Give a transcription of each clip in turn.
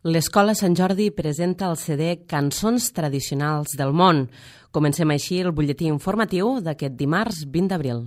L'Escola Sant Jordi presenta el CD Cançons tradicionals del món. Comencem així el butlletí informatiu d'aquest dimarts 20 d'abril.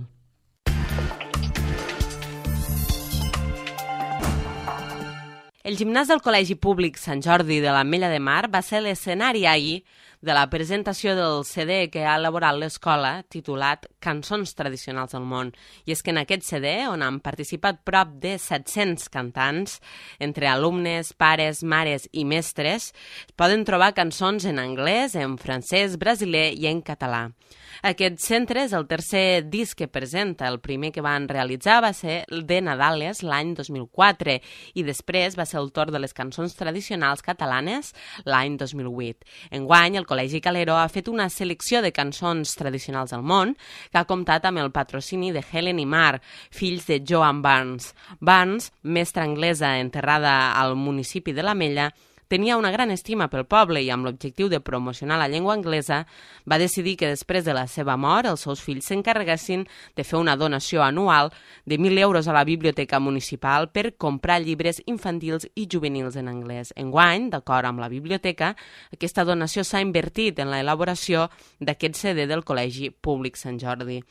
El gimnàs del Col·legi Públic Sant Jordi de l'Ametlla de Mar va ser l'escenari ahir de la presentació del CD que ha elaborat l'escola, titulat Cançons tradicionals del món. I és que en aquest CD, on han participat prop de 700 cantants, entre alumnes, pares, mares i mestres, poden trobar cançons en anglès, en francès, brasiler i en català. Aquest centre és el tercer disc que presenta. El primer que van realitzar va ser el de Nadales l'any 2004 i després va ser el torn de les cançons tradicionals catalanes l'any 2008. Enguany, el Col·legi Calero ha fet una selecció de cançons tradicionals del món que ha comptat amb el patrocini de Helen i Mark, fills de Joan Barnes. Barnes, mestra anglesa enterrada al municipi de l'Ametlla, tenia una gran estima pel poble i amb l'objectiu de promocionar la llengua anglesa va decidir que després de la seva mort els seus fills s'encarreguessin de fer una donació anual de 1.000 euros a la biblioteca municipal per comprar llibres infantils i juvenils en anglès. Enguany, d'acord amb la biblioteca, aquesta donació s'ha invertit en l'elaboració d'aquest CD del Col·legi Públic Sant Jordi.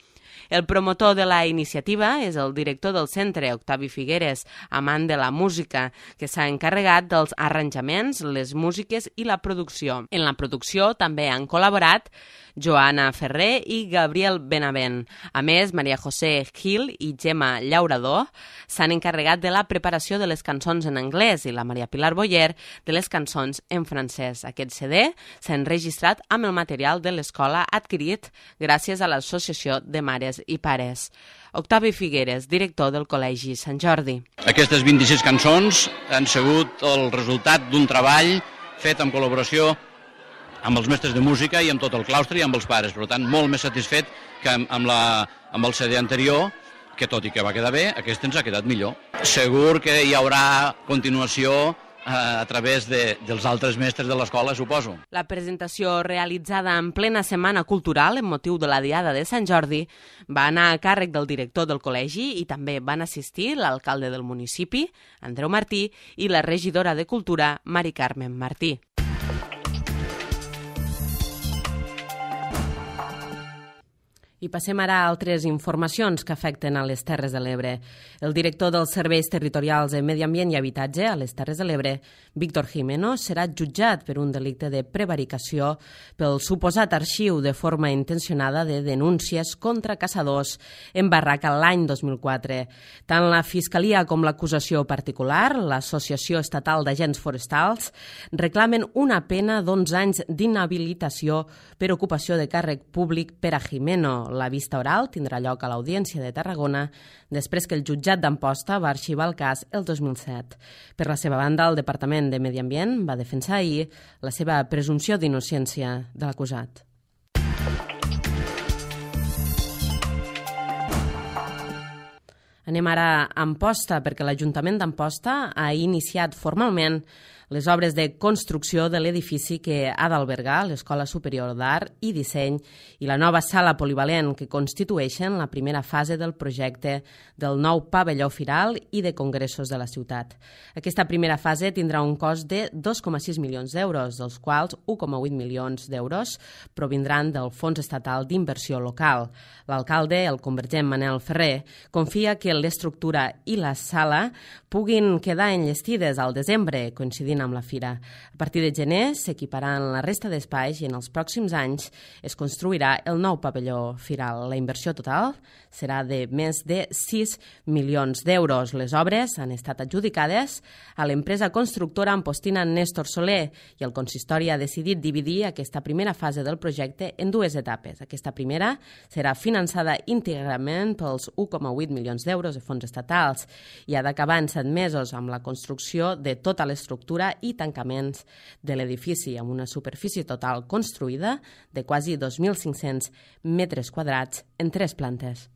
El promotor de la iniciativa és el director del centre, Octavi Figueres, amant de la música, que s'ha encarregat dels arranjaments, les músiques i la producció. En la producció també han col·laborat Joana Ferrer i Gabriel Benavent. A més, Maria José Gil i Gemma Llaurador s'han encarregat de la preparació de les cançons en anglès i la Maria Pilar Boyer de les cançons en francès. Aquest CD s'ha enregistrat amb el material de l'escola adquirit gràcies a l'Associació de Mares i Pares. Octavi Figueres, director del Col·legi Sant Jordi. Aquestes 26 cançons han sigut el resultat d'un treball fet en col·laboració amb els mestres de música i amb tot el claustre i amb els pares. Per tant, molt més satisfet que amb el CD anterior, que tot i que va quedar bé, aquest ens ha quedat millor. Segur que hi haurà continuació a través dels altres mestres de l'escola, suposo. La presentació realitzada en plena Setmana Cultural, en motiu de la Diada de Sant Jordi, va anar a càrrec del director del col·legi i també van assistir l'alcalde del municipi, Andreu Martí, i la regidora de Cultura, Mari Carmen Martí. I passem ara a altres informacions que afecten a les Terres de l'Ebre. El director dels Serveis Territorials de Medi Ambient i Habitatge a les Terres de l'Ebre, Víctor Jimeno, serà jutjat per un delicte de prevaricació pel suposat arxiu de forma intencionada de denúncies contra caçadors en Barraca l'any 2004. Tant la Fiscalia com l'acusació particular, l'Associació Estatal d'Agents Forestals, reclamen una pena d'11 anys d'inhabilitació per ocupació de càrrec públic per a Jimeno. La vista oral tindrà lloc a l'Audiència de Tarragona després que el jutjat d'Amposta va arxivar el cas el 2007. Per la seva banda, el Departament de Medi Ambient va defensar ahir la seva presumpció d'innocència de l'acusat. Anem ara a Amposta, perquè l'Ajuntament d'Amposta ha iniciat formalment les obres de construcció de l'edifici que ha d'albergar l'Escola Superior d'Art i Disseny i la nova sala polivalent que constitueixen la primera fase del projecte del nou pavelló firal i de congressos de la ciutat. Aquesta primera fase tindrà un cost de 2,6 milions d'euros, dels quals 1,8 milions d'euros provindran del Fons Estatal d'Inversió Local. L'alcalde, el convergent Manel Ferrer, confia que l'estructura i la sala puguin quedar enllestides al desembre, coincidint amb la fira. A partir de gener s'equiparan la resta d'espais i en els pròxims anys es construirà el nou pavelló firal. La inversió total serà de més de 6 milions d'euros. Les obres han estat adjudicades a l'empresa constructora ampostina Néstor Soler i el consistori ha decidit dividir aquesta primera fase del projecte en dues etapes. Aquesta primera serà finançada íntegrament pels 1,8 milions d'euros de fons estatals i ha d'acabar en 7 mesos amb la construcció de tota l'estructura i tancaments de l'edifici amb una superfície total construïda de quasi 2.500 metres quadrats en 3 plantes.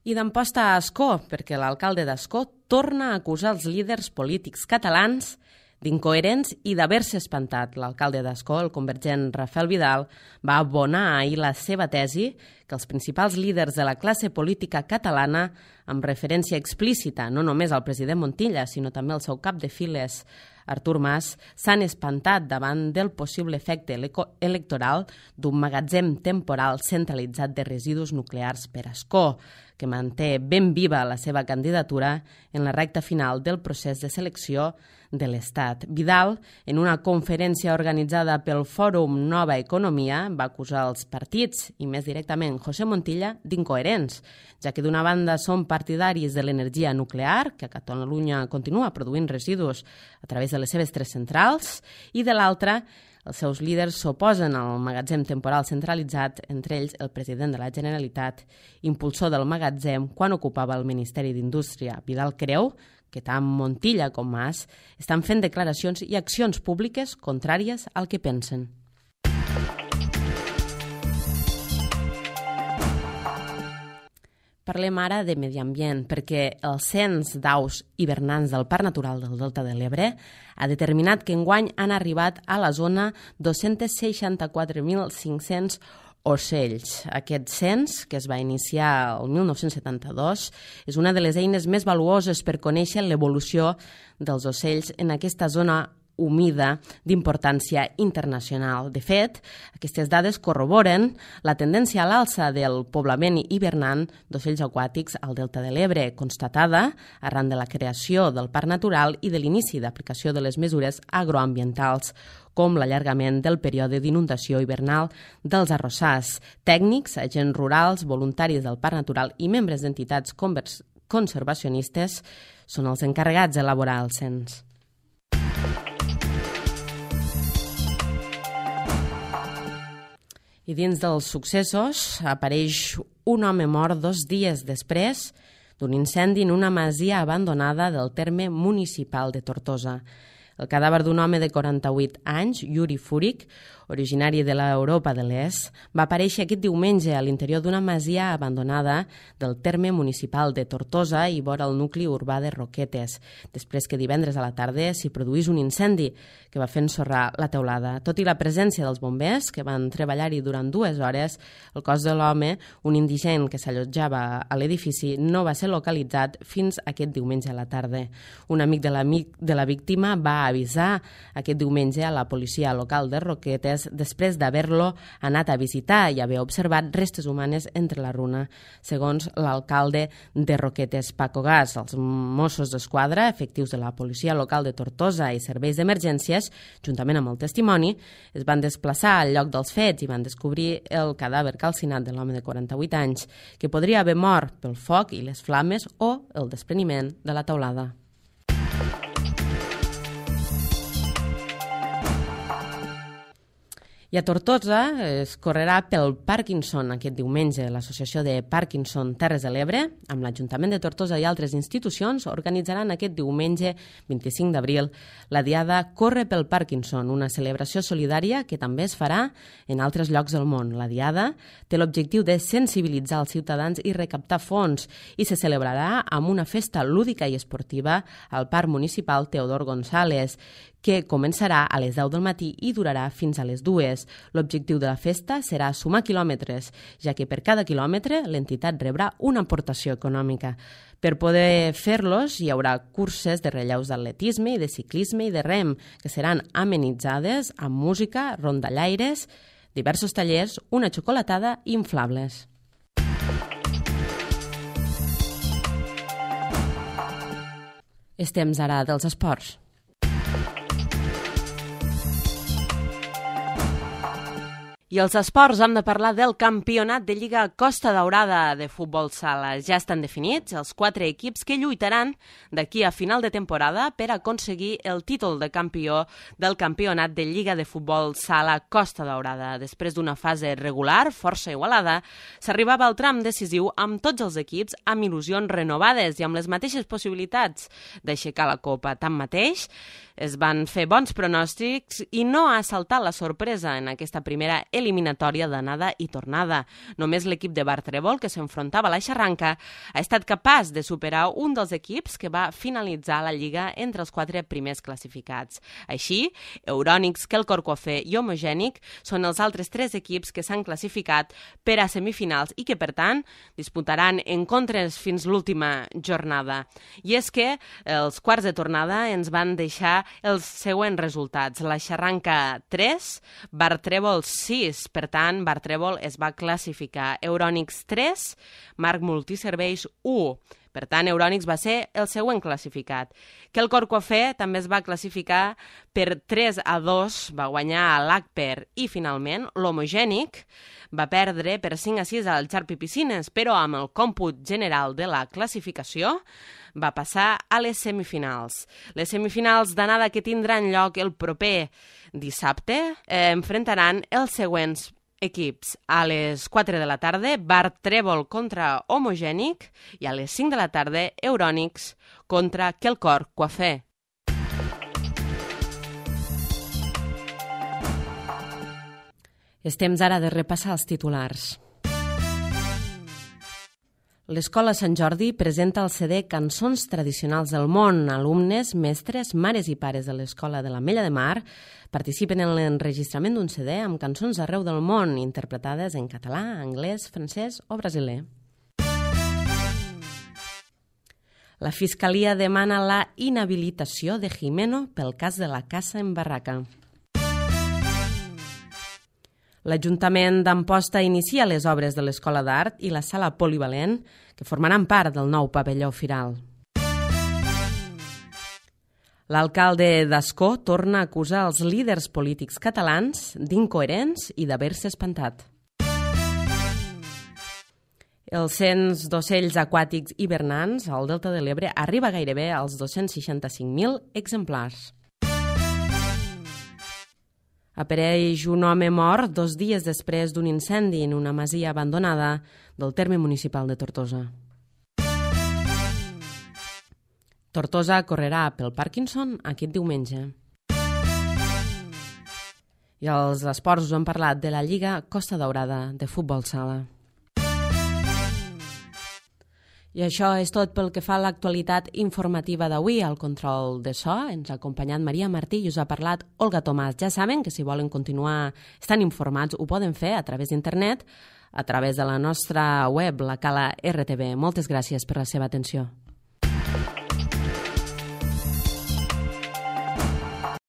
I d'Amposta a Ascó, perquè l'alcalde d'Ascó torna a acusar els líders polítics catalans d'incoherents i d'haver-se espantat. L'alcalde d'Ascó, el convergent Rafael Vidal, va abonar ahir la seva tesi que els principals líders de la classe política catalana, amb referència explícita no només al president Montilla, sinó també al seu cap de files, Artur Mas, s'han espantat davant del possible efecte electoral d'un magatzem temporal centralitzat de residus nuclears per Ascó, que manté ben viva la seva candidatura en la recta final del procés de selecció de l'Estat. Vidal, en una conferència organitzada pel Fòrum Nova Economia, va acusar els partits, i més directament José Montilla, d'incoherents, ja que d'una banda són partidaris de l'energia nuclear, que a Catalunya continua produint residus a través de les seves 3 centrals, i de l'altra, els seus líders s'oposen al magatzem temporal centralitzat, entre ells el president de la Generalitat, impulsor del magatzem quan ocupava el Ministeri d'Indústria. Vidal creu que tant Montilla com Mas estan fent declaracions i accions públiques contràries al que pensen. Parlem ara de medi ambient, perquè el cens d'aus hivernants del Parc Natural del Delta de l'Ebre ha determinat que enguany han arribat a la zona 264.500 ocells. Aquest cens, que es va iniciar el 1972, és una de les eines més valuoses per conèixer l'evolució dels ocells en aquesta zona humida d'importància internacional. De fet, aquestes dades corroboren la tendència a l'alça del poblament hivernant d'ocells aquàtics al Delta de l'Ebre, constatada arran de la creació del Parc Natural i de l'inici d'aplicació de les mesures agroambientals, com l'allargament del període d'inundació hivernal dels arrossars. Tècnics, agents rurals, voluntaris del Parc Natural i membres d'entitats conservacionistes són els encarregats d'elaborar el cens. I dins dels successos apareix un home mort 2 dies després d'un incendi en una masia abandonada del terme municipal de Tortosa. El cadàver d'un home de 48 anys, Yuri Furik, originari de l'Europa de l'Est, va aparèixer aquest diumenge a l'interior d'una masia abandonada del terme municipal de Tortosa i vora el nucli urbà de Roquetes, després que divendres a la tarda s'hi produís un incendi que va fer ensorrar la teulada. Tot i la presència dels bombers, que van treballar-hi durant 2 hores, el cos de l'home, un indigent que s'allotjava a l'edifici, no va ser localitzat fins aquest diumenge a la tarda. Un amic de la víctima va avisar aquest diumenge a la policia local de Roquetes després d'haver-lo anat a visitar i haver observat restes humanes entre la runa. Segons l'alcalde de Roquetes, Paco Gas, els Mossos d'Esquadra, efectius de la policia local de Tortosa i serveis d'emergències, juntament amb el testimoni, es van desplaçar al lloc dels fets i van descobrir el cadàver calcinat de l'home de 48 anys, que podria haver mort pel foc i les flames o el despreniment de la teulada. I a Tortosa es correrà pel Parkinson aquest diumenge. L'Associació de Parkinson Terres de l'Ebre, amb l'Ajuntament de Tortosa i altres institucions, organitzaran aquest diumenge 25 d'abril la diada Corre pel Parkinson, una celebració solidària que també es farà en altres llocs del món. La diada té l'objectiu de sensibilitzar els ciutadans i recaptar fons i se celebrarà amb una festa lúdica i esportiva al Parc Municipal Teodor González, que començarà a les 10 del matí i durarà fins a les 2. L'objectiu de la festa serà sumar quilòmetres, ja que per cada quilòmetre l'entitat rebrà una aportació econòmica. Per poder fer-los hi haurà curses de relleus d'atletisme i de ciclisme i de rem, que seran amenitzades amb música, rondallaires, diversos tallers, una xocolatada i inflables. És temps ara dels esports. I els esports hem de parlar del campionat de Lliga Costa Daurada de futbol sala. Ja estan definits els 4 equips que lluitaran d'aquí a final de temporada per aconseguir el títol de campió del campionat de Lliga de futbol sala Costa Daurada. Després d'una fase regular força igualada, s'arribava al tram decisiu amb tots els equips amb il·lusions renovades i amb les mateixes possibilitats d'aixecar la copa. Tanmateix, es van fer bons pronòstics i no ha saltat la sorpresa en aquesta primera eliminatòria d'anada i tornada. Només l'equip de bar Trèvol, que s'enfrontava a la Xarranca, ha estat capaç de superar un dels equips que va finalitzar la Lliga entre els 4 primers classificats. Així, Eurònics, Quelcor-Coafè i Homogènic són els altres 3 equips que s'han classificat per a semifinals i que, per tant, disputaran encontres fins l'última jornada. I és que els quarts de tornada ens van deixar els següents resultats. La Xarranca 3, bar Trèvol 6, per tant, bar Trèvol es va classificar. Eurònics 3, Marc Multiserveis 1. Per tant, Eurònics va ser el següent classificat. Quelcor-Coafè també es va classificar per 3-2, va guanyar a l'Agper i, finalment, l'Homogènic va perdre per 5-6 al Xarpi Piscines, però amb el còmput general de la classificació va passar a les semifinals. Les semifinals d'anada que tindran lloc el proper dissabte enfrontaran els següents equips. A les 4 de la tarda, bar Trèvol contra Homogènic i a les 5 de la tarda, Eurònics contra Quelcor-Coafè. És temps ara de repassar els titulars. L'Escola Sant Jordi presenta el CD Cançons Tradicionals del Món. Alumnes, mestres, mares i pares de l'Escola de l'Ametlla de Mar participen en l'enregistrament d'un CD amb cançons d'arreu del món, interpretades en català, anglès, francès o brasiler. La Fiscalia demana la inhabilitació de Jimeno pel cas de la caça en barraca. L'Ajuntament d'Amposta inicia les obres de l'Escola d'Art i la Sala Polivalent, que formaran part del nou pavelló firal. L'alcalde d'Ascó torna a acusar els líders polítics catalans d'incoherents i d'haver-se espantat. El cens d'ocells aquàtics hivernants al Delta de l'Ebre arriba gairebé als 265.000 exemplars. Apareix un home mort 2 dies després d'un incendi en una masia abandonada del terme municipal de Tortosa. Tortosa correrà pel Parkinson aquest diumenge. I als esports us hem parlat de la Lliga Costa Daurada de futbol sala. I això és tot pel que fa a l'actualitat informativa d'avui. Al control de so ens ha acompanyat Maria Martí i us ha parlat Olga Tomàs. Ja saben que si volen continuar estant informats ho poden fer a través d'internet, a través de la nostra web, la Cala RTV. Moltes gràcies per la seva atenció.